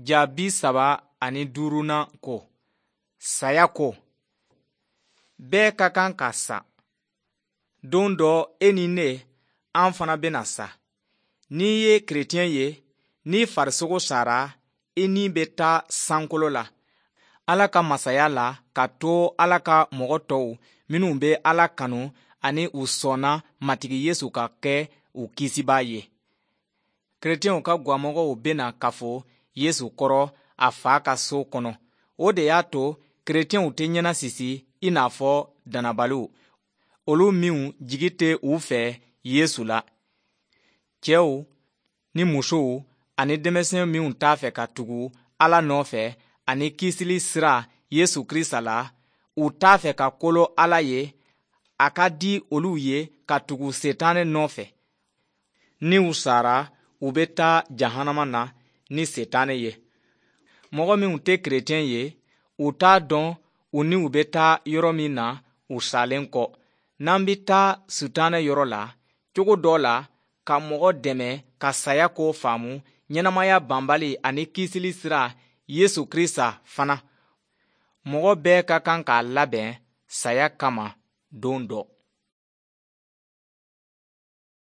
Ja 35nan ko, saya ko. Bɛɛ ka kan ka sa. Don dɔ e ni ne, an fana bɛna sa. N'i ye kerecɛn ye, n'i farisogo sara, i ni bɛ taa sankolo la, Ala ka masaya la ka to Ala ka mɔgɔ tɔw minnu bɛ Ala kanu ani u sɔnna Matigi Yesu ka kɛ u Kisibaa ye. Kerecɛnw ka gwamɔgɔw bɛna kafo Yesu kɔrɔ a fa ka so kɔnɔ. O de y'a to kerecɛnw tɛ ɲɛnasisi i n'a fɔ dannabaliw, olu minw jigi tɛ u fɛ Yesu la. Cɛw ni musow ani denmisɛn minw t'a fɛ ka tugu Ala nɔfɛ ani kisili sira Yesu Krista la, u t'a fɛ ka kolo Ala ye, a ka di olu ye ka tugu Setanɛ nɔfɛ. Ni u sara, u bɛ taa jahanama na ni Setanɛ ye. Mɔgɔ minw tɛ kerecɛn ye, u t'a dɔn u niw bɛ taa yɔrɔ min na u salen kɔ. N'an bɛ taa Sitanɛ yɔrɔ la, cogo dɔ la ka mɔgɔ dɛmɛ ka saya ko faamu, ɲɛnamaya banbali ani kisili sira Yesu Krista fana. Mɔgɔ bɛɛ ka kan k'a labɛn saya kama don dɔ.